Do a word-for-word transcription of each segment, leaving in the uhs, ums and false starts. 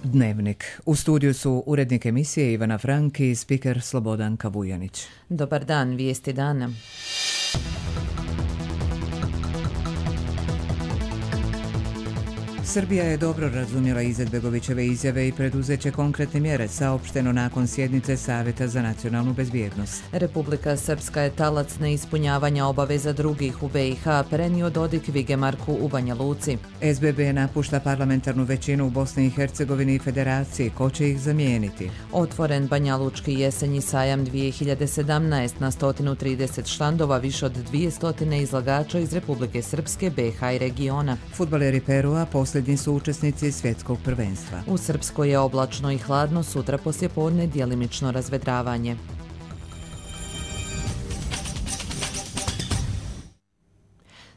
Dnevnik. U studiju su urednik emisije Ivana Frank i spiker Slobodanka Vujanić. Dobar dan, vijesti dana. Srbija je dobro razumjela Izetbegovićeve izjave i preduzeće konkretne mjere, saopšteno nakon sjednice Savjeta za nacionalnu bezbjednost. Republika Srpska je talac neispunjavanja obaveza drugih u B i H, prenio Dodik Vigemarku u Banja Luci. S B B napušta parlamentarnu većinu u Bosni i Hercegovini i Federaciji. Ko će ih zamijeniti? Otvoren Banjalučki jesenji sajam dvije hiljade sedamnaest na sto trideset štandova, više od dvjesto izlagača iz Republike Srpske, B i H i regiona. Fudbaleri Perua posljednji su učesnici svjetskog prvenstva. U Srpskoj je oblačno i hladno, sutra poslijepodne djelimično razvedravanje.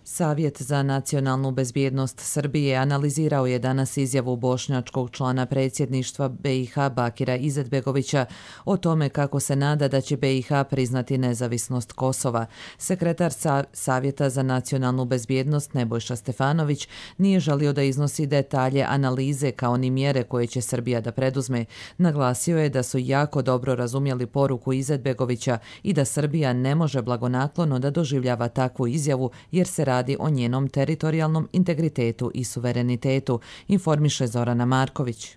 Savjet za nacionalnu bezbjednost Srbije analizirao je danas izjavu bošnjačkog člana predsjedništva B i H Bakira Izetbegovića o tome kako se nada da će B i H priznati nezavisnost Kosova. Sekretar Sa- Savjeta za nacionalnu bezbjednost Nebojša Stefanović nije želio da iznosi detalje analize kao ni mjere koje će Srbija da preduzme. Naglasio je da su jako dobro razumjeli poruku Izetbegovića i da Srbija ne može blagonaklono da doživljava takvu izjavu jer se radi o njenom teritorijalnom integritetu i suverenitetu, informiše Zorana Marković.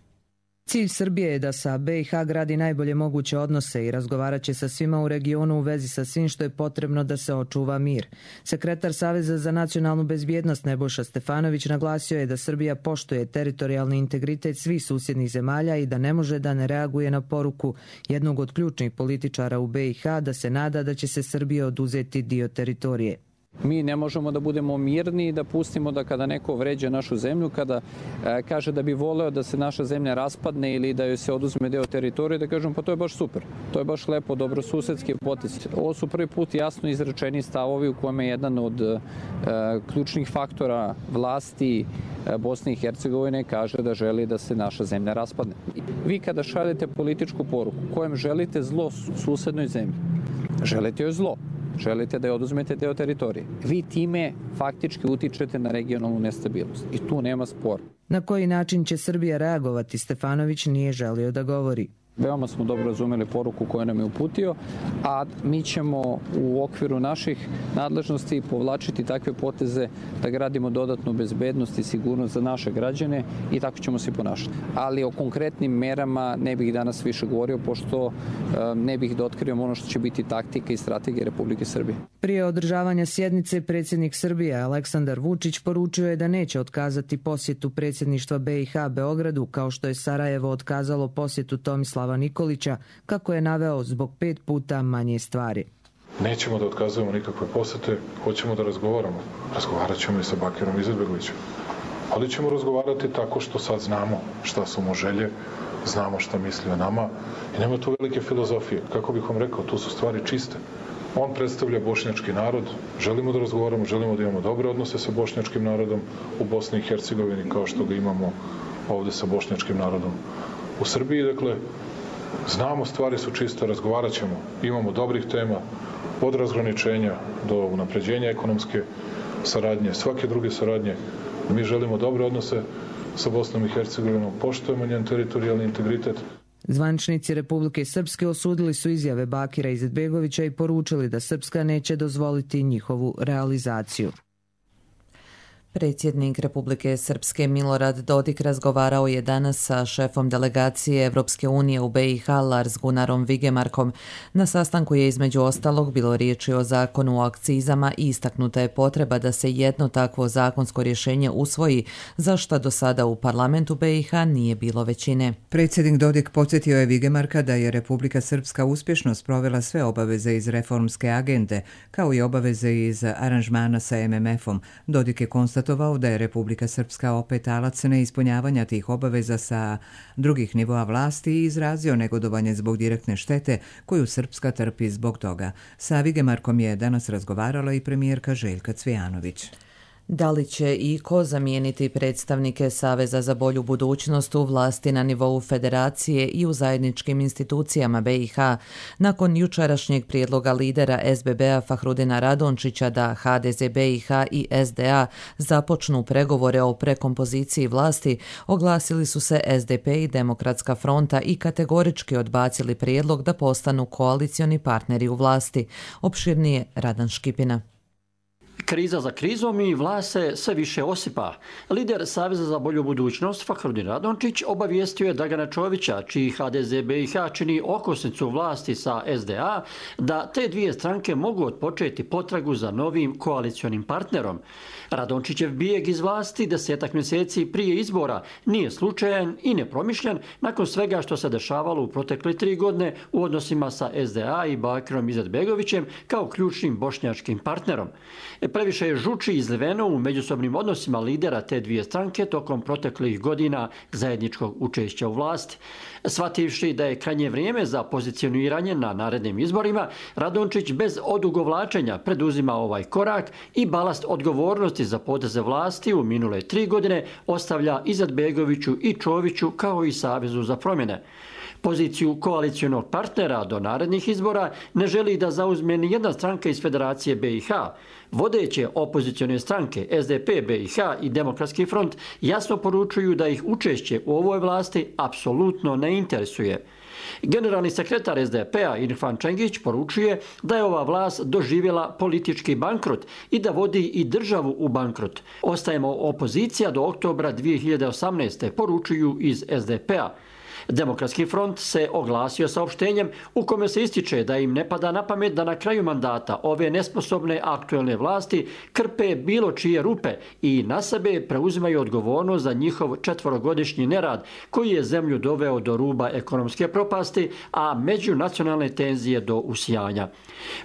Cilj Srbije je da sa B i H gradi najbolje moguće odnose i razgovarat će sa svima u regionu u vezi sa svim što je potrebno da se očuva mir. Sekretar Saveza za nacionalnu bezbjednost Nebojša Stefanović naglasio je da Srbija poštuje teritorijalni integritet svih susjednih zemalja i da ne može da ne reaguje na poruku jednog od ključnih političara u B i H da se nada da će se Srbije oduzeti dio teritorije. Mi ne možemo da budemo mirni i da pustimo da kada neko vređa našu zemlju, kada e, kaže da bi voleo da se naša zemlja raspadne ili da joj se oduzme deo teritorije, da kažemo pa to je baš super, to je baš lepo, dobrosusedski potez. Ovo su prvi put jasno izrečeni stavovi u kome je jedan od e, ključnih faktora vlasti e, Bosne i Hercegovine kaže da želi da se naša zemlja raspadne. Vi kada šaljete političku poruku kojem želite zlo susednoj zemlji, želite joj zlo. Želite da je oduzmete deo teritorije. Vi time faktički utičete na regionalnu nestabilnost. I tu nema spora. Na koji način će Srbija reagovati, Stefanović nije želio da govori. Veoma smo dobro razumeli poruku koju nam je uputio, a mi ćemo u okviru naših nadležnosti povlačiti takve poteze da gradimo dodatnu bezbednost i sigurnost za naše građane i tako ćemo se ponašati. Ali o konkretnim merama ne bih danas više govorio, pošto ne bih da otkrivam ono što će biti taktika i strategija Republike Srbije. Prije održavanja sjednice predsjednik Srbije Aleksandar Vučić poručio je da neće otkazati posjetu predsjedništva B i H Beogradu, kao što je Sarajevo otkazalo posjetu Tomislava Nikolića, kako je naveo zbog pet puta manje stvari. Nećemo da otkazujemo nikakve posete, hoćemo da razgovaramo. Razgovarat ćemo i sa Bakirom Izetbegovićem. Ali ćemo razgovarati tako što sad znamo šta su mu želje, znamo šta misli o nama i nema tu velike filozofije. Kako bih vam rekao, tu su stvari čiste. On predstavlja bošnjački narod, želimo da razgovaramo, želimo da imamo dobre odnose sa bošnjačkim narodom u Bosni i Hercegovini, kao što ga imamo ovde sa bošnjačkim narodom u Srbiji. Dakle, znamo, stvari su čiste, razgovarat ćemo, imamo dobrih tema, od razgraničenja do unapređenja ekonomske saradnje, svake druge saradnje. Mi želimo dobre odnose sa Bosnom i Hercegovinom, poštujemo njen teritorijalni integritet. Zvaničnici Republike Srpske osudili su izjave Bakira Izetbegovića i poručili da Srpska neće dozvoliti njihovu realizaciju. Predsjednik Republike Srpske Milorad Dodik razgovarao je danas sa šefom delegacije Evropske unije u B i H Lars Gunnarom Vigemarkom. Na sastanku je između ostalog bilo riječi o zakonu o akcizama i istaknuta je potreba da se jedno takvo zakonsko rješenje usvoji, za što do sada u parlamentu B i H nije bilo većine. Predsjednik Dodik podsjetio je Vigemarka da je Republika Srpska uspješno sprovela sve obaveze iz reformske agende, kao i obaveze iz aranžmana sa M M F-om. Dodik je konstatovao da je Republika Srpska opet talac neispunjavanja tih obaveza sa drugih nivoa vlasti i izrazio negodovanje zbog direktne štete koju Srpska trpi zbog toga. Sa Vigemarkom je danas razgovarala i premijerka Željka Cvijanović. Da li će i ko zamijeniti predstavnike Saveza za bolju budućnost u vlasti na nivou federacije i u zajedničkim institucijama B i H nakon jučerašnjeg prijedloga lidera S B B-a Fahrudina Radončića da H D Z B i H i S D A započnu pregovore o prekompoziciji vlasti, oglasili su se S D P i Demokratska fronta i kategorički odbacili prijedlog da postanu koalicioni partneri u vlasti. Opširnije Radan Škipina. Kriza za krizom i vlast se sve više osipa. Lider Saveza za bolju budućnost Fahrudin Radončić obavijestio je Dragana Čovića, čiji H D Z B i H čini okosnicu vlasti sa S D A, da te dvije stranke mogu otpočeti potragu za novim koalicionim partnerom. Radončićev bijeg iz vlasti desetak mjeseci prije izbora nije slučajan i nepromišljen nakon svega što se dešavalo u protekle tri godine u odnosima sa S D A i Bakirom Izetbegovićem kao ključnim bošnjačkim partnerom. Previše je žuči izliveno u međusobnim odnosima lidera te dvije stranke tokom proteklih godina zajedničkog učešća u vlasti. Shvativši da je krajnje vrijeme za pozicioniranje na narednim izborima, Radončić bez odugovlačenja preduzima ovaj korak i balast odgovornosti za poteze vlasti u minule tri godine ostavlja Izetbegoviću i Čoviću kao i Savezu za promjene. Poziciju koalicionog partnera do narednih izbora ne želi da zauzme ni jedna stranka iz Federacije B i H. Vodeće opozicione stranke S D P, B i H i Demokratski front jasno poručuju da ih učešće u ovoj vlasti apsolutno ne interesuje. Generalni sekretar S D P-a Irfan Čengić poručuje da je ova vlast doživjela politički bankrot i da vodi i državu u bankrot. Ostajemo opozicija do oktobra dvije hiljade osamnaeste. poručuju iz S D P-a. Demokratski front se oglasio saopštenjem u kome se ističe da im ne pada na pamet da na kraju mandata ove nesposobne aktuelne vlasti krpe bilo čije rupe i na sebe preuzimaju odgovornost za njihov četvorogodišnji nerad koji je zemlju doveo do ruba ekonomske propasti, a međunacionalne tenzije do usijanja.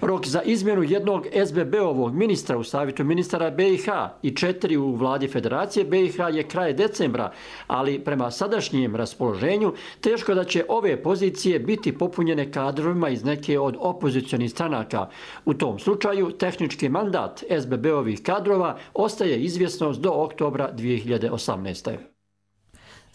Rok za izmjenu jednog S B B-ovog ministra u Savjetu ministara B i H i četiri u vladi Federacije B i H je kraj decembra, ali prema sadašnjem raspoloženju teško da će ove pozicije biti popunjene kadrovima iz neke od opozicionih stranaka. U tom slučaju tehnički mandat S B B-ovih kadrova ostaje izvjesnost do oktobra dvije hiljade osamnaeste.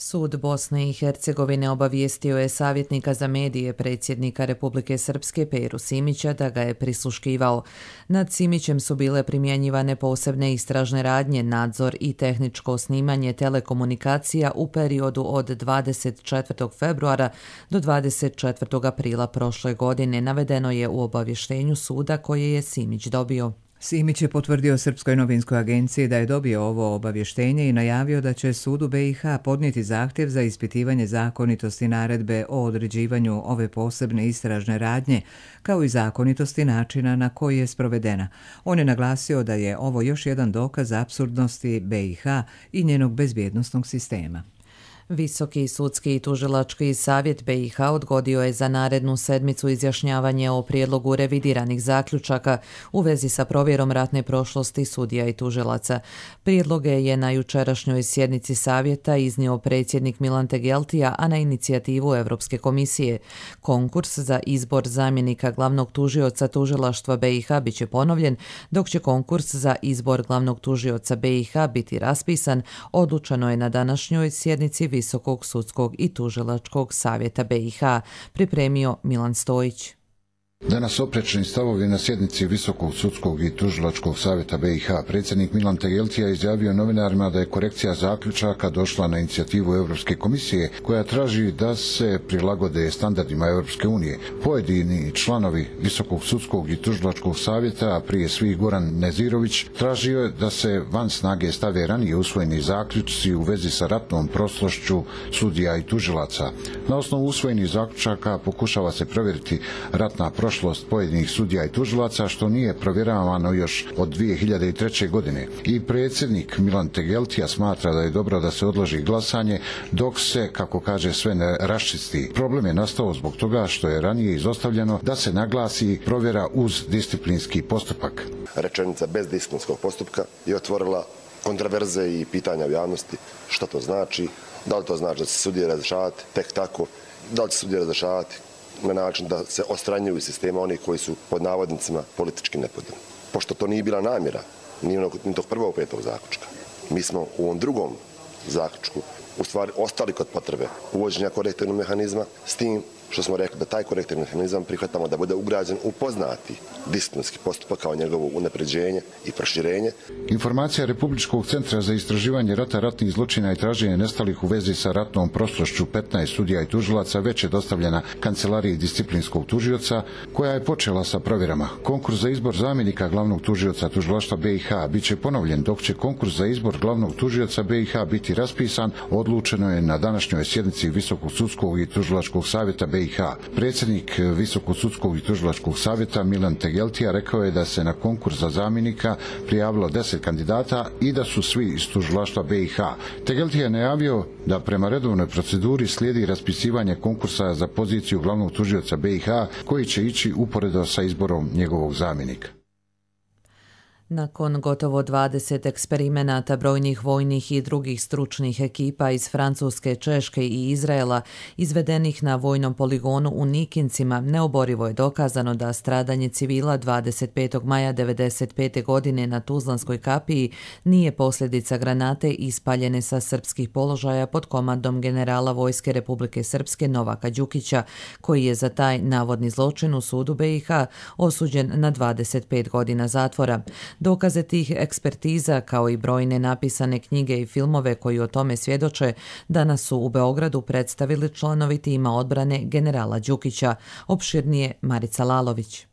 Sud Bosne i Hercegovine obavijestio je savjetnika za medije predsjednika Republike Srpske Peru Simića da ga je prisluškivao. Nad Simićem su bile primjenjivane posebne istražne radnje, nadzor i tehničko snimanje telekomunikacija u periodu od dvadeset četvrtog februara do dvadeset četvrtog aprila prošle godine, navedeno je u obavještenju suda koje je Simić dobio. Simić je potvrdio Srpskoj novinskoj agenciji da je dobio ovo obavještenje i najavio da će sudu B i H podnijeti zahtjev za ispitivanje zakonitosti naredbe o određivanju ove posebne istražne radnje, kao i zakonitosti načina na koji je sprovedena. On je naglasio da je ovo još jedan dokaz apsurdnosti B i H i njenog bezbjednosnog sistema. Visoki sudski i tužilački savjet B i H odgodio je za narednu sedmicu izjašnjavanje o prijedlogu revidiranih zaključaka u vezi sa provjerom ratne prošlosti sudija i tužilaca. Prijedloge je na jučerašnjoj sjednici savjeta iznio predsjednik Milan Tegeltija, a na inicijativu Europske komisije. Konkurs za izbor zamjenika glavnog tužioca tužilaštva B i H biće ponovljen, dok će konkurs za izbor glavnog tužioca B i H biti raspisan, odlučeno je na današnjoj sjednici Visokog sudskog i tužilačkog savjeta B i H, pripremio Milan Stojić. Danas oprečni stavovi na sjednici Visokog sudskog i tužilačkog savjeta B i H. Predsjednik Milan Tegeltija izjavio novinarima da je korekcija zaključaka došla na inicijativu Europske komisije koja traži da se prilagode standardima Europske unije. Pojedini članovi Visokog sudskog i tužilačkog savjeta, a prije svih Goran Nezirović, tražio je da se van snage stave ranije usvojeni zaključci u vezi sa ratnom prošlošću sudija i tužilaca. Na osnovu usvojenih zaključaka pokušava se provjeriti ratna prošlost prošlost pojedinih sudija i tužilaca, što nije provjeravano još od dvije hiljade treće. godine. I predsjednik Milan Tegeltija smatra da je dobro da se odloži glasanje dok se, kako kaže, sve ne raščisti. Problem je nastao zbog toga što je ranije izostavljeno da se naglasi provjera uz disciplinski postupak. Rečenica bez disciplinskog postupka je otvorila kontroverze i pitanja u javnosti. Što to znači? Da li to znači da se sudije razrješavati tek tako? Da li će sudije razrješavati na način da se odstranjuju iz sistema oni koji su pod navodnicima politički nepodobni? Pošto to nije bila namjera ni onog, ni tog prvog petog zaključka. Mi smo u ovom drugom zaključku u stvari ostali kod potrebe uvođenja korektivnog mehanizma, s tim što smo rekli da taj korektivni mehanizam prihvatamo da bude ugrađen u poznati disciplinski postupak kao njegovo unapređenje i proširenje. Informacija Republičkog centra za istraživanje rata, ratnih zločina i traženje nestalih u vezi sa ratnom prošlošću petnaest sudija i tužilaca već je dostavljena Kancelariji disciplinskog tužioca, koja je počela sa provjerama. Konkurs za izbor zamjenika glavnog tužioca tužilaštva B i H bit će ponovljen, dok će konkurs za izbor glavnog tužioca B i H biti raspisan, odlučeno je na današnjoj sjednici Visokog sudskog i tužilačkog savjeta B i H. Predsjednik Visokog sudskog i tužilačkog savjeta Milan Tegeltija rekao je da se na konkurs za zamjenika prijavilo deset kandidata i da su svi iz tužilaštva B i H. Tegeltija je najavio da prema redovnoj proceduri slijedi raspisivanje konkursa za poziciju glavnog tužioca B i H, koji će ići uporedo sa izborom njegovog zamjenika. Nakon gotovo dvadeset eksperimenata brojnih vojnih i drugih stručnih ekipa iz Francuske, Češke i Izraela izvedenih na vojnom poligonu u Nikincima, neoborivo je dokazano da stradanje civila dvadeset petog maja devedeset pete godine na Tuzlanskoj kapiji nije posljedica granate ispaljene sa srpskih položaja pod komandom generala Vojske Republike Srpske Novaka Đukića, koji je za taj navodni zločin u sudu B i H osuđen na dvadeset pet godina zatvora. Dokaze tih ekspertiza, kao i brojne napisane knjige i filmove koji o tome svjedoče, danas su u Beogradu predstavili članovi tima odbrane generala Đukića. Opširnije Marica Lalović.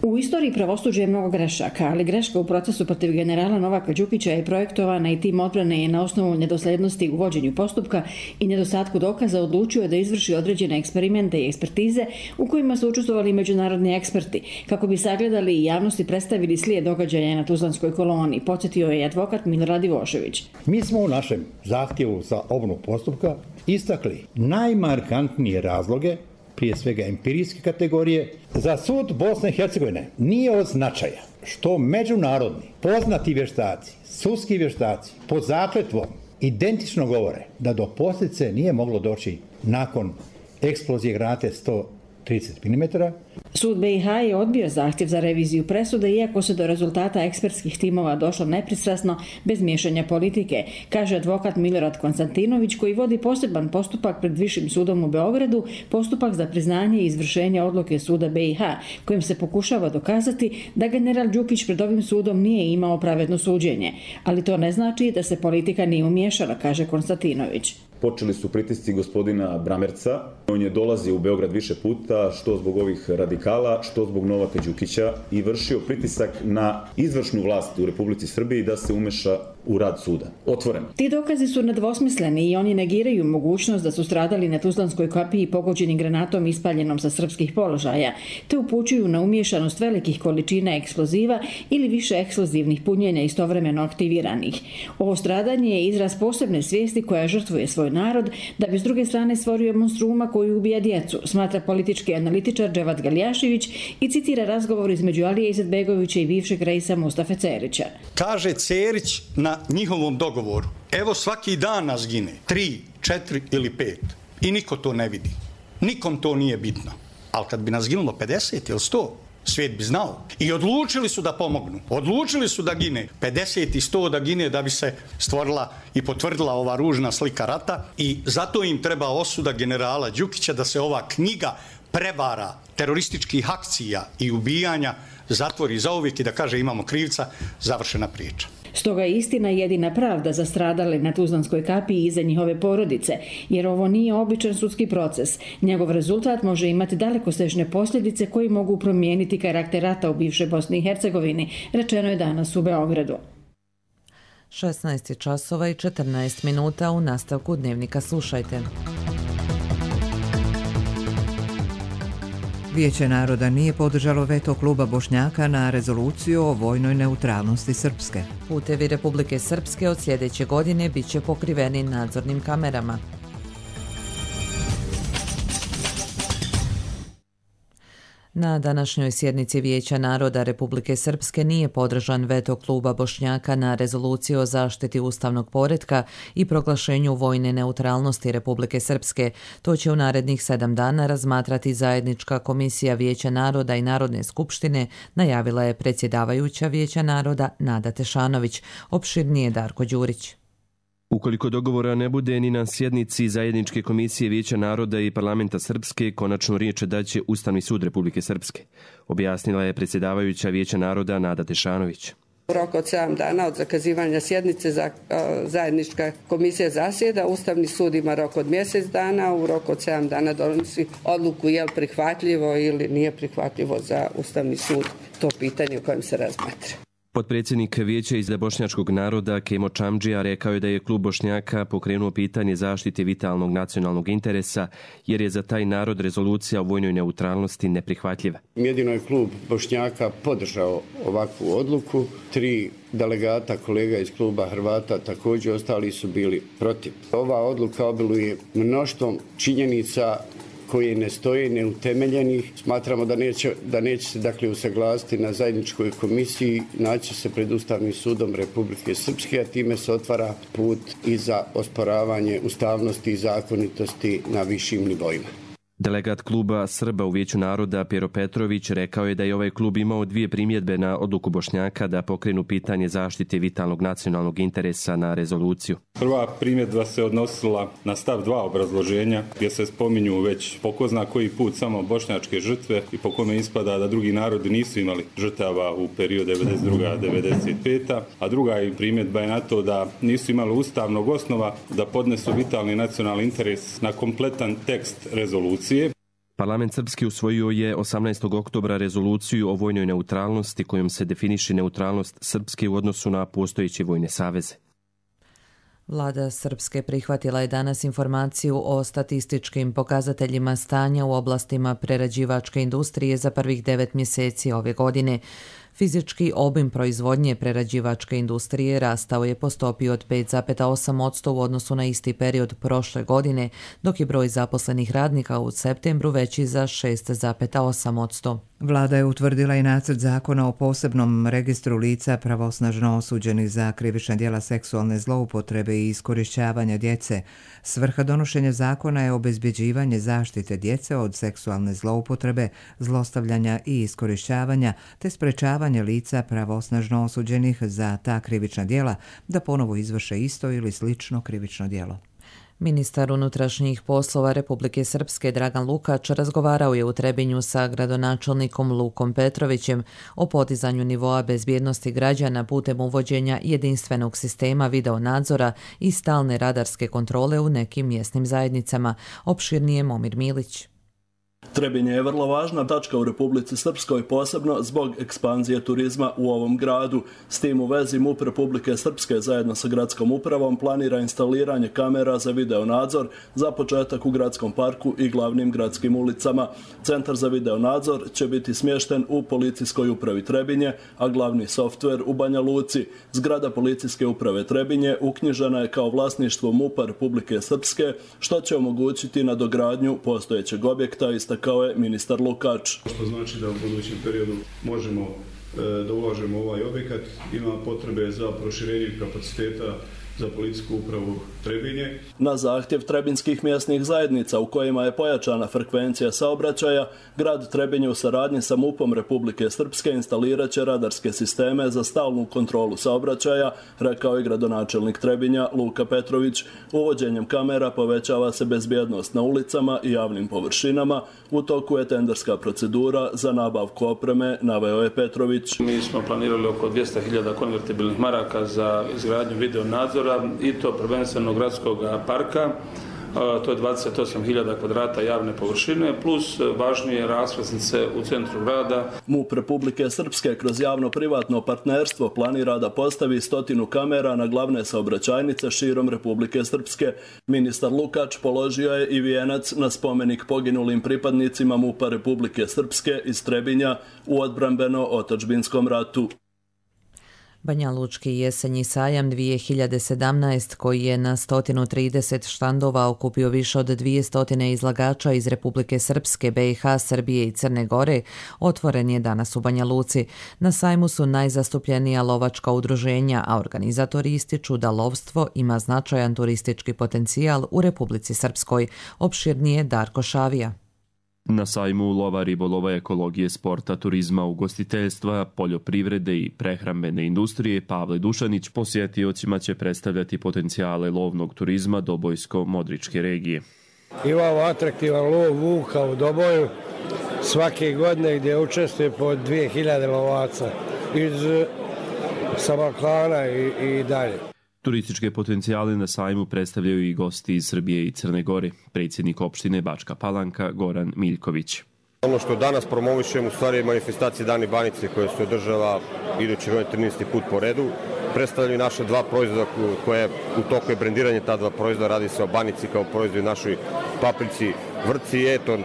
U istoriji pravosuđa je mnogo grešaka, ali greška u procesu protiv generala Novaka Đukića je projektovana i tim odbrane je na osnovu nedoslednosti u vođenju postupka i nedostatku dokaza odlučio da izvrši određene eksperimente i ekspertize u kojima su učestvovali međunarodni eksperti, kako bi sagledali i javnosti predstavili slijed događaja na Tuzlanskoj koloni, podsjetio je advokat Milorad Ivošević. Mi smo u našem zahtjevu za obnovu postupka istakli najmarkantnije razloge, prije svega empirijske kategorije. Za sud Bosne i Hercegovine nije od značaja što međunarodni poznati vještaci, sudski vještaci pod zakletvom identično govore da do posljedice nije moglo doći nakon eksplozije granate sto trideset milimetara. Sud B i H je odbio zahtjev za reviziju presude, iako se do rezultata ekspertskih timova došlo nepristrasno, bez miješanja politike, kaže advokat Milorad Konstantinović, koji vodi poseban postupak pred Višim sudom u Beogradu, postupak za priznanje i izvršenje odluke suda B i H, kojim se pokušava dokazati da general Đukić pred ovim sudom nije imao pravedno suđenje. Ali to ne znači da se politika nije umiješala, kaže Konstantinović. Počeli su pritisci gospodina Bramerca. On je dolazio u Beograd više puta, što zbog ovih radikala, što zbog Novaka Đukića, i vršio pritisak na izvršnu vlast u Republici Srbiji da se umeša u rad suda. Otvoreno. Ti dokazi su nedvosmisleni i oni negiraju mogućnost da su stradali na Tuzlanskoj kapiji pogođeni granatom ispaljenom sa srpskih položaja, te upućuju na umiješanost velikih količina eksploziva ili više eksplozivnih punjenja istovremeno aktiviranih. Ovo stradanje je izraz posebne svijesti koja žrtvuje svoj narod, da bi s druge strane stvorio monstruma koji ubija djecu, smatra politički analitičar Dževat Galjašević i citira razgovor između Alije Izetbegovića i bivšeg reisa Mustafe Cerića. Kaže Cerić na njihovom dogovoru: evo svaki dan nas gine, tri, četiri ili pet, i niko to ne vidi. Nikom to nije bitno. Ali kad bi nas ginulo pedeset ili sto, svijet bi znao. I odlučili su da pomognu. Odlučili su da gine pedeset i sto, da gine da bi se stvorila i potvrdila ova ružna slika rata, i zato im treba osuda generala Đukića da se ova knjiga prevara, terorističkih akcija i ubijanja zatvori zauvijek i da kaže imamo krivca, završena priča. Stoga je istina jedina pravda za stradale na Tuzlanskoj kapiji i za njihove porodice, jer ovo nije običan sudski proces. Njegov rezultat može imati dalekosežne posljedice koji mogu promijeniti karakter rata u bivšoj Bosni i Hercegovini, rečeno je danas u Beogradu. šesnaest časova i četrnaest minuta. U nastavku Dnevnika slušajte. Vijeće naroda nije podržalo veto kluba Bošnjaka na rezoluciju o vojnoj neutralnosti Srpske. Putevi Republike Srpske od sljedeće godine bit će pokriveni nadzornim kamerama. Na današnjoj sjednici Vijeća naroda Republike Srpske nije podržan veto kluba Bošnjaka na rezoluciju o zaštiti ustavnog poretka i proglašenju vojne neutralnosti Republike Srpske. To će u narednih sedam dana razmatrati zajednička komisija Vijeća naroda i Narodne skupštine, najavila je predsjedavajuća Vijeća naroda Nada Tešanović. Opširnije Darko Đurić. Ukoliko dogovora ne bude ni na sjednici zajedničke komisije Vijeća naroda i parlamenta Srpske, konačnu riječ daće Ustavni sud Republike Srpske, objasnila je predsjedavajuća Vijeća naroda Nada Tešanović. U roku od sedam dana od zakazivanja sjednice za, zajednička komisija zasjeda, Ustavni sud ima rok od mjesec dana, u roku od sedam dana donosi odluku je li prihvatljivo ili nije prihvatljivo za Ustavni sud to pitanje o kojem se razmatra. Potpredsjednik Vijeća iz bošnjačkog naroda Kemo Čamdžija rekao je da je klub Bošnjaka pokrenuo pitanje zaštite vitalnog nacionalnog interesa jer je za taj narod rezolucija o vojnoj neutralnosti neprihvatljiva. Jedino je klub Bošnjaka podržao ovakvu odluku. Tri delegata kolega iz kluba Hrvata također ostali su bili protiv. Ova odluka obiluje mnoštvom činjenica koje ne stoje neutemeljenih. Smatramo da neće, da neće se dakle usaglasiti na zajedničkoj komisiji, naći se pred Ustavnim sudom Republike Srpske, a time se otvara put i za osporavanje ustavnosti i zakonitosti na višim nivoima. Delegat kluba Srba u Vijeću naroda Pero Petrović rekao je da je ovaj klub imao dvije primjedbe na odluku Bošnjaka da pokrenu pitanje zaštite vitalnog nacionalnog interesa na rezoluciju. Prva primjedba se odnosila na stav dva obrazloženja gdje se spominju već po ko zna koji put samo bošnjačke žrtve i po kome ispada da drugi narodi nisu imali žrtava u periodu devedeset druga do devedeset peta a druga primjedba je na to da nisu imali ustavnog osnova da podnesu vitalni nacionalni interes na kompletan tekst rezolucije. Parlament Srpski usvojio je osamnaestog oktobra rezoluciju o vojnoj neutralnosti kojom se definiše neutralnost Srpske u odnosu na postojeće vojne saveze. Vlada Srpske prihvatila je danas informaciju o statističkim pokazateljima stanja u oblastima prerađivačke industrije za prvih devet mjeseci ove godine. Fizički obim proizvodnje prerađivačke industrije rastao je po stopi od pet zarez osam posto u odnosu na isti period prošle godine, dok je broj zaposlenih radnika u septembru veći za šest zarez osam posto. Vlada je utvrdila i nacrt zakona o posebnom registru lica pravosnažno osuđenih za krivična djela seksualne zloupotrebe i iskorišćavanja djece. Svrha donošenja zakona je obezbjeđivanje zaštite djece od seksualne zloupotrebe, zlostavljanja i iskorišćavanja, te sprečavanje lica pravosnažno osuđenih za ta krivična djela da ponovo izvrše isto ili slično krivično djelo. Ministar unutrašnjih poslova Republike Srpske Dragan Lukač razgovarao je u Trebinju sa gradonačelnikom Lukom Petrovićem o podizanju nivoa bezbjednosti građana putem uvođenja jedinstvenog sistema videonadzora i stalne radarske kontrole u nekim mjesnim zajednicama. Opširnije Momir Milić. Trebinje je vrlo važna tačka u Republici Srpskoj, posebno zbog ekspanzije turizma u ovom gradu. S tim u vezi MUP Republike Srpske zajedno sa gradskom upravom planira instaliranje kamera za videonadzor za početak u gradskom parku i glavnim gradskim ulicama. Centar za videonadzor će biti smješten u policijskoj upravi Trebinje, a glavni softver u Banja Luci. Zgrada policijske uprave Trebinje uknjižena je kao vlasništvo MUP-a Republike Srpske, što će omogućiti nadogradnju postojećeg objekta, istakao je ministar Lukač. Što znači da u budućem periodu možemo e, da ulažemo u ovaj objekat, ima potrebe za proširenje kapaciteta za policijsku upravu Trebinje. Na zahtjev trebinskih mjesnih zajednica u kojima je pojačana frekvencija saobraćaja, grad Trebinje u saradnji sa MUP-om Republike Srpske instalirat će radarske sisteme za stalnu kontrolu saobraćaja, rekao je gradonačelnik Trebinja Luka Petrović. Uvođenjem kamera povećava se bezbjednost na ulicama i javnim površinama. U toku je tenderska procedura za nabavku opreme, naveo je Petrović. Mi smo planirali oko dvjesto hiljada konvertibilnih maraka za izgradnju videonadzora i to prvenstveno gradskog parka. To je dvadeset osam hiljada kvadrata javne površine plus važnije raskrsnice u centru grada. MUP Republike Srpske kroz javno-privatno partnerstvo planira da postavi stotinu kamera na glavne saobraćajnice širom Republike Srpske. Ministar Lukač položio je i vijenac na spomenik poginulim pripadnicima MUP-a Republike Srpske iz Trebinja u odbrambeno-otadžbinskom ratu. Banja Lučki jesenji sajam dvije hiljade sedamnaest, koji je na sto trideset štandova okupio više od dvjesto izlagača iz Republike Srpske, B i H, Srbije i Crne Gore, otvoren je danas u Banja Luci. Na sajmu su najzastupljenija lovačka udruženja, a organizatori ističu da lovstvo ima značajan turistički potencijal u Republici Srpskoj. Opširnije Darko Šavija. Na sajmu lova, ribolova, ekologije, sporta, turizma, ugostiteljstva, poljoprivrede i prehrambene industrije Pavle Dušanić posjetiocima će predstavljati potencijale lovnog turizma Dobojsko-Modričke regije. Imamo atraktivan lov vuka u Doboju svake godine gdje učestvuje po dvije hiljade lovaca iz Samaklana i, i dalje. Turističke potencijale na sajmu predstavljaju i gosti iz Srbije i Crne Gore, predsjednik opštine Bačka Palanka Goran Miljković. Ono što danas promovišemo u stvari je manifestacija Dani Banice koja se održava idući godine trinaesti put po redu. Predstavljaju naše dva proizvoda koje u toku je brendiranje ta dva proizvoda. Radi se o banici kao proizvodu našoj paprici, vrci i eton.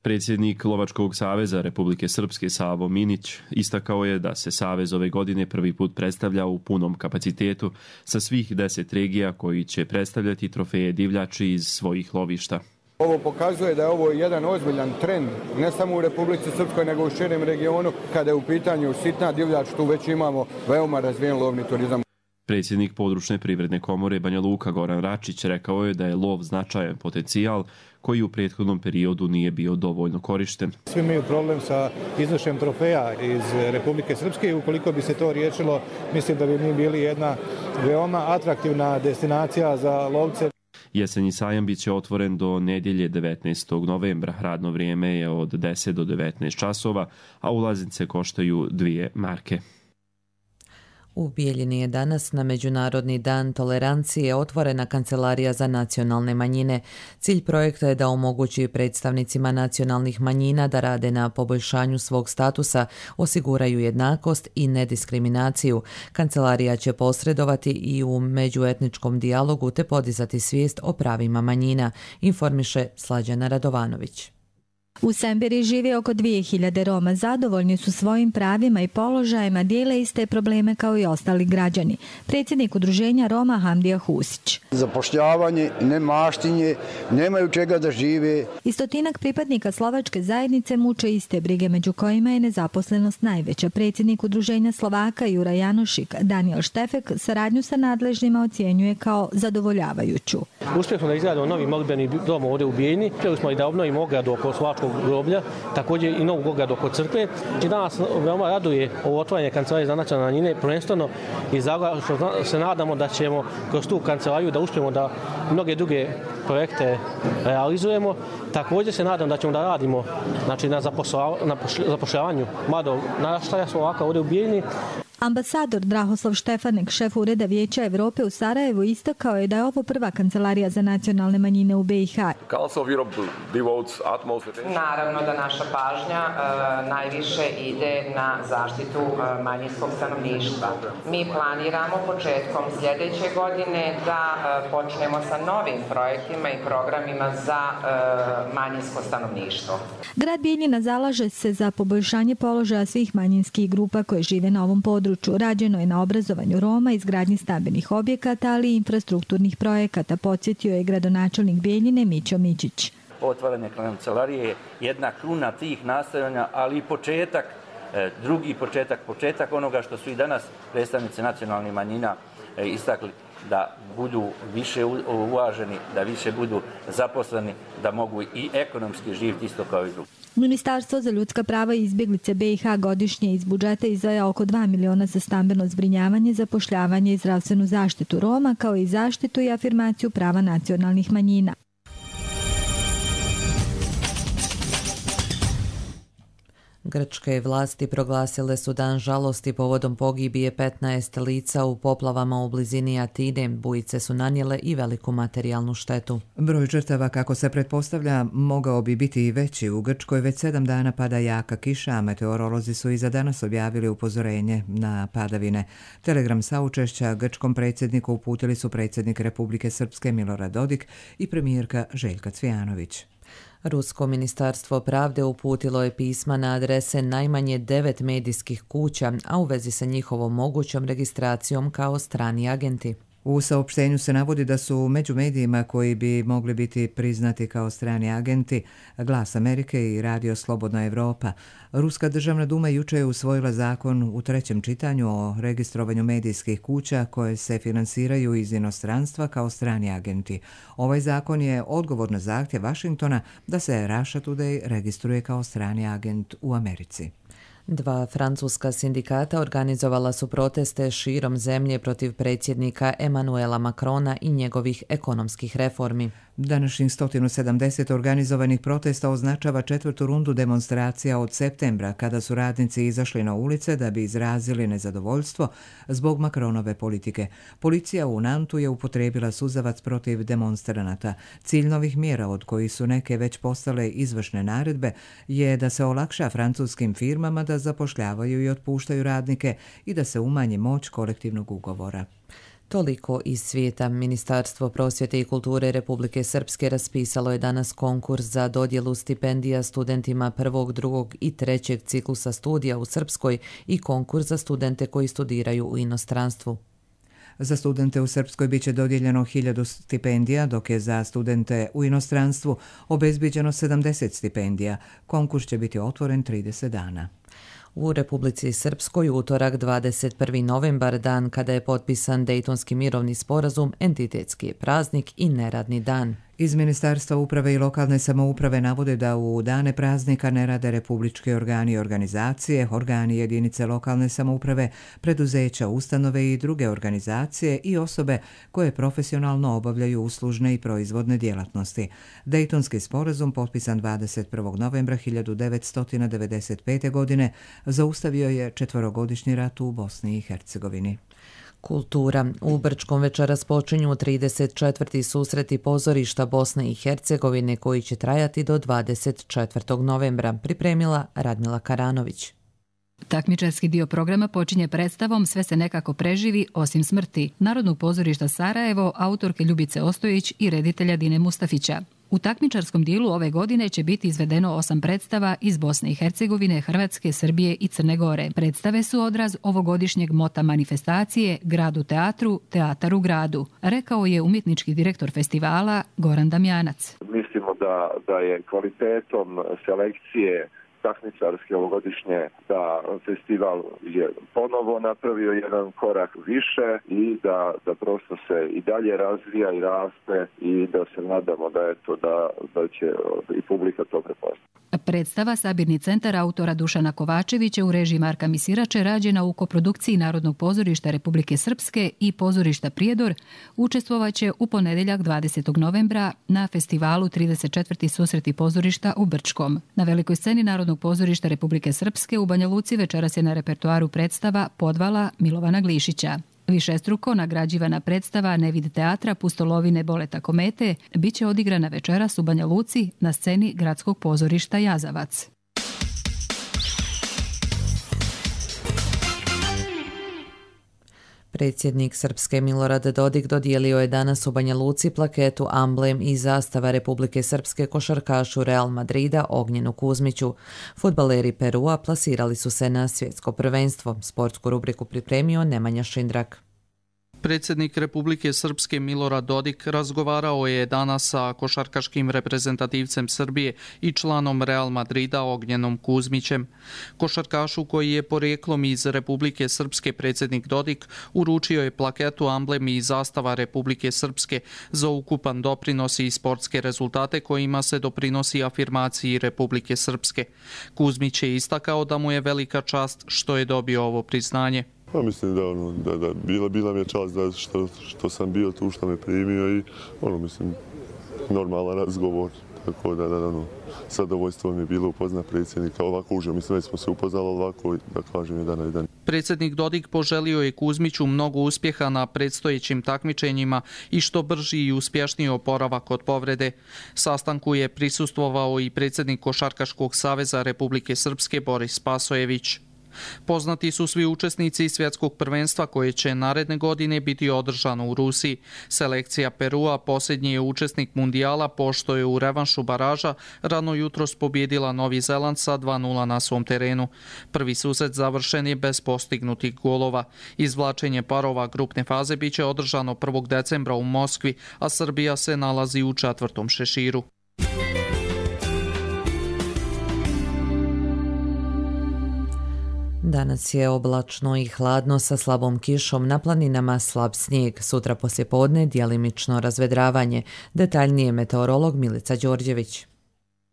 Predsjednik Lovačkog saveza Republike Srpske Savo Minić istakao je da se savez ove godine prvi put predstavlja u punom kapacitetu sa svih deset regija koji će predstavljati trofeje divljači iz svojih lovišta. Ovo pokazuje da je ovo jedan ozbiljan trend, ne samo u Republici Srpskoj, nego u širem regionu. Kada je u pitanju sitna divljač, tu već imamo veoma razvijen lovni turizam. Predsjednik područne privredne komore Banja Luka Goran Račić rekao je da je lov značajan potencijal koji u prethodnom periodu nije bio dovoljno korišten. Svi imaju problem sa iznošenjem trofeja iz Republike Srpske i ukoliko bi se to riješilo, mislim da bi mi bili jedna veoma atraktivna destinacija za lovce. Jesenji sajam bit će otvoren do nedjelje devetnaestog novembra. Radno vrijeme je od deset do devetnaest časova, a ulaznice koštaju dvije marke. U Bijeljini je danas na Međunarodni dan tolerancije otvorena Kancelarija za nacionalne manjine. Cilj projekta je da omogući predstavnicima nacionalnih manjina da rade na poboljšanju svog statusa, osiguraju jednakost i nediskriminaciju. Kancelarija će posredovati i u međuetničkom dijalogu te podizati svijest o pravima manjina, informiše Slađana Radovanović. U Sembiri živi oko dvije hiljade Roma, zadovoljni su svojim pravima i položajima, dijele iste probleme kao i ostali građani. Predsjednik udruženja Roma Hamdija Husić. Zapošljavanje, nemaštinje, nemaju čega da žive. Istotinak pripadnika slovačke zajednice muče iste brige, među kojima je nezaposlenost najveća. Predsjednik udruženja Slovaka Jura Janošik Daniel Štefek saradnju sa nadležnima ocjenjuje kao zadovoljavajuću. Uspjeli smo da izgradimo novi molitbeni dom ovdje u Bijeljini, uspjeli smo i da obnovimo ogradu oko slovačkog groblja, također i novu ogradu oko crkve. I danas veoma raduje ovo otvaranje Kancelarije za nacionalne manjine, prvenstveno iz razloga što se nadamo da ćemo kroz tu kancelariju da uspijemo da mnoge druge projekte realizujemo. Također se nadam da ćemo da radimo znači, na zapošljavanju mladog naraštaja Slovaka ovdje u Bijeljini. Ambasador Drahoslav Štefanek, šef Ureda Vijeća Evrope u Sarajevu, istakao je da je ovo prva kancelarija za nacionalne manjine u B i H. Naravno da naša pažnja e, najviše ide na zaštitu e, manjinskog stanovništva. Mi planiramo početkom sljedeće godine da e, počnemo sa novim projektima i programima za e, manjinsko stanovništvo. Grad Bijeljina zalaže se za poboljšanje položaja svih manjinskih grupa koje žive na ovom području. Rađeno je na obrazovanju Roma, izgradnji stambenih objekata, ali i infrastrukturnih projekata, podsjetio je gradonačelnik Bijeljine Mićo Mićić. Otvaranje kancelarije je jedna kruna tih nastojanja, ali i početak, drugi početak, početak onoga što su i danas predstavnici nacionalnih manjina istakli, da budu više uvaženi, da više budu zaposleni, da mogu i ekonomski živjeti isto kao i drugi. Ministarstvo za ljudska prava i izbjeglice B i H godišnje iz budžeta izdvaja oko dva miliona za stambeno zbrinjavanje, zapošljavanje i zdravstvenu zaštitu Roma, kao i zaštitu i afirmaciju prava nacionalnih manjina. Grčke vlasti proglasile su dan žalosti povodom pogibije petnaest lica u poplavama u blizini Atine. Bujice su nanijele i veliku materijalnu štetu. Broj žrtava, kako se pretpostavlja, mogao bi biti i veći. U Grčkoj već sedam dana pada jaka kiša, a meteorolozi su i za danas objavili upozorenje na padavine. Telegram saučešća grčkom predsjedniku uputili su predsjednik Republike Srpske Milorad Dodik i premijerka Željka Cvijanović. Rusko ministarstvo pravde uputilo je pisma na adrese najmanje devet medijskih kuća, a u vezi sa njihovom mogućom registracijom kao strani agenti. U saopštenju se navodi da su među medijima koji bi mogli biti priznati kao strani agenti Glas Amerike i Radio Slobodna Evropa. Ruska državna duma juče je usvojila zakon u trećem čitanju o registrovanju medijskih kuća koje se finansiraju iz inostranstva kao strani agenti. Ovaj zakon je odgovor na zahtjev Vašingtona da se Russia Today registruje kao strani agent u Americi. Dva francuska sindikata organizovala su proteste širom zemlje protiv predsjednika Emmanuela Macrona i njegovih ekonomskih reformi. Današnjih sto sedamdeset organizovanih protesta označava četvrtu rundu demonstracija od septembra, kada su radnici izašli na ulice da bi izrazili nezadovoljstvo zbog Macronove politike. Policija u Nantu je upotrijebila suzavac protiv demonstranata. Cilj novih mjera, od kojih su neke već postale izvršne naredbe, je da se olakša francuskim firmama da zapošljavaju i otpuštaju radnike i da se umanji moć kolektivnog ugovora. Toliko iz svijeta. Ministarstvo prosvjete i kulture Republike Srpske raspisalo je danas konkurs za dodjelu stipendija studentima prvog, drugog i trećeg ciklusa studija u Srpskoj i konkurs za studente koji studiraju u inostranstvu. Za studente u Srpskoj biće dodijeljeno hiljadu stipendija, dok je za studente u inostranstvu obezbiđeno sedamdeset stipendija. Konkurs će biti otvoren trideset dana. U Republici Srpskoj utorak dvadeset prvi novembar, dan kada je potpisan Dejtonski mirovni sporazum, entitetski je praznik i neradni dan. Iz Ministarstva uprave i lokalne samouprave navode da u dane praznika ne rade republički organi i organizacije, organi jedinice lokalne samouprave, preduzeća, ustanove i druge organizacije i osobe koje profesionalno obavljaju uslužne i proizvodne djelatnosti. Dejtonski sporazum, potpisan dvadeset prvog novembra hiljadu devetsto devedeset pete. godine, zaustavio je četverogodišnji rat u Bosni i Hercegovini. Kultura. U Brčkom večeras počinju trideset četvrti susreti pozorišta Bosne i Hercegovine koji će trajati do dvadeset četvrtog novembra, pripremila Radmila Karanović. Takmičarski dio programa počinje predstavom Sve se nekako preživi osim smrti Narodnog pozorišta Sarajevo, autorke Ljubice Ostojić i reditelja Dine Mustafića. U takmičarskom dijelu ove godine će biti izvedeno osam predstava iz Bosne i Hercegovine, Hrvatske, Srbije i Crne Gore. Predstave su odraz ovogodišnjeg mota manifestacije Grad u teatru, teatar u gradu, rekao je umjetnički direktor festivala Goran Damjanac. Mislimo da, da je kvalitetom selekcije takmičarske ovogodišnje da festival je ponovo napravio jedan korak više i da, da prosto se i dalje razvija i raste i da se nadamo da, eto, da, da će i publika to prepoznati. Predstava Sabirni centar autora Dušana Kovačevića u režiji Marka Misirače, rađena u koprodukciji Narodnog pozorišta Republike Srpske i pozorišta Prijedor, učestvovaće u ponedjeljak dvadesetog novembra na festivalu trideset četvrti susreti pozorišta u Brčkom. Na velikoj sceni Narodnog pozorišta Republike Srpske u Banja Luci večeras je na repertoaru predstava Podvala Milovana Glišića. Višestruko nagrađivana predstava Nevid teatra Pustolovine Boleta komete biće odigrana večeras u Banja Luci na sceni Gradskog pozorišta Jazavac. Predsjednik Srpske Milorad Dodik dodijelio je danas u Banja Luci plaketu Amblem i zastava Republike Srpske košarkašu Real Madrida Ognjenu Kuzmiću. Fudbaleri Perua plasirali su se na svjetsko prvenstvo. Sportsku rubriku pripremio Nemanja Šindrak. Predsjednik Republike Srpske Milorad Dodik razgovarao je danas sa košarkaškim reprezentativcem Srbije i članom Real Madrida Ognjenom Kuzmićem. Košarkašu koji je porijeklom iz Republike Srpske predsjednik Dodik uručio je plaketu Amblem i zastava Republike Srpske za ukupan doprinos i sportske rezultate kojima se doprinosi afirmaciji Republike Srpske. Kuzmić je istakao da mu je velika čast što je dobio ovo priznanje. Pa mislim da, ono, da, da bila, bila mi je čast da što, što sam bio tu, što me primio i ono, mislim, normalan razgovor. Tako da, da, da ono, zadovoljstvo mi je bilo upoznat predsjednika ovako uže. Mislim da smo se upoznali ovako, da kažem, jedan na jedan. Predsjednik Dodik poželio je Kuzmiću mnogo uspjeha na predstojećim takmičenjima i što brži i uspješniji oporavak od povrede. Sastanku je prisustvovao i predsjednik Košarkaškog saveza Republike Srpske Boris Pasojević. Poznati su svi učesnici svjetskog prvenstva koje će naredne godine biti održano u Rusiji. Selekcija Perua posljednji je učesnik mundijala pošto je u revanšu baraža rano jutros pobjedila Novi Zeland sa dva nula na svom terenu. Prvi susret završen je bez postignutih golova. Izvlačenje parova grupne faze biće održano prvog decembra u Moskvi, a Srbija se nalazi u četvrtom šeširu. Danas je oblačno i hladno sa slabom kišom, na planinama slab snijeg. Sutra poslijepodne djelimično razvedravanje. Detaljnije meteorolog Milica Đorđević.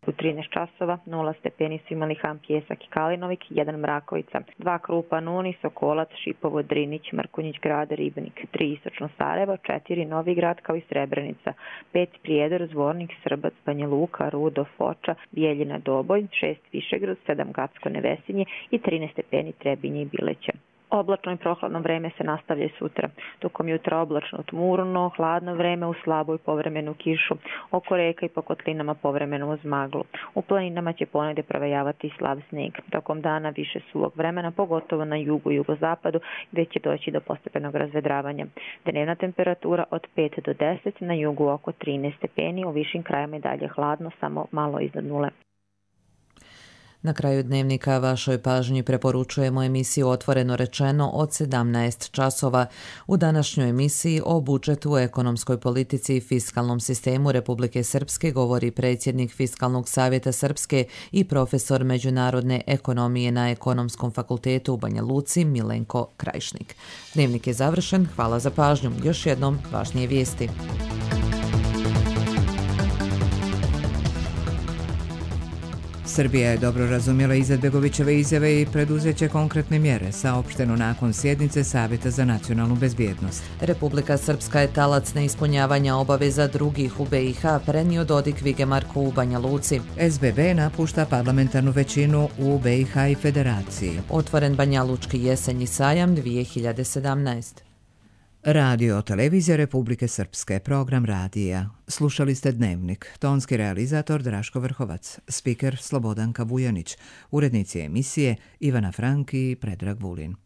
U trinaest časova nula stepeni su imali Han Pjesak i Kalinovik, jedan Mrakovica, dva Krupa Nuni, Sokolac, Šipovo, Drinić, Mrkonjić Grad, Ribnik, tri Istočno Sarajevo, četiri Novi Grad kao i Srebrenica, pet Prijedor, Zvornik, Srbac, Banja Luka, Rudo, Foča, Bijeljina, Doboj, šest Višegrad, sedam Gacko, Nevesinje i trinaest stepeni Trebinje i Bileće. Oblačno i prohladno vreme se nastavlja i sutra. Tokom jutra oblačno tmurno, hladno vreme u slabu i povremenu kišu. Oko reka i po kotlinama povremeno uz maglu. U planinama će ponegdje provejavati slab snijeg. Tokom dana više suvog vremena, pogotovo na jugu i jugozapadu, gdje će doći do postepenog razvedravanja. Dnevna temperatura od pet do deset, na jugu oko trinaest stepeni, u višim krajima i dalje hladno, samo malo iznad nule. Na kraju dnevnika vašoj pažnji preporučujemo emisiju Otvoreno rečeno od sedamnaest časova. U današnjoj emisiji o budžetu, ekonomskoj politici i fiskalnom sistemu Republike Srpske govori predsjednik Fiskalnog savjeta Srpske i profesor međunarodne ekonomije na Ekonomskom fakultetu u Banja Luci Milenko Krajišnik. Dnevnik je završen, hvala za pažnju. Još jednom važnije vijesti. Srbija je dobro razumjela Izetbegovićeve izjave i preduzeće konkretne mjere, saopšteno nakon sjednice Savjeta za nacionalnu bezbjednost. Republika Srpska je talac neispunjavanja obaveza drugih u B i H, prenio Dodik Vigemarku u Banja Luci. S B B napušta parlamentarnu većinu u B i H i Federaciji. Otvoren Banja Lučki jesenji sajam dvije hiljade sedamnaest. Radio Televizija Republike Srpske, program radija. Slušali ste Dnevnik, tonski realizator Draško Vrhovac, spiker Slobodanka Vujanić, urednici emisije Ivana Frank i Predrag Vulin.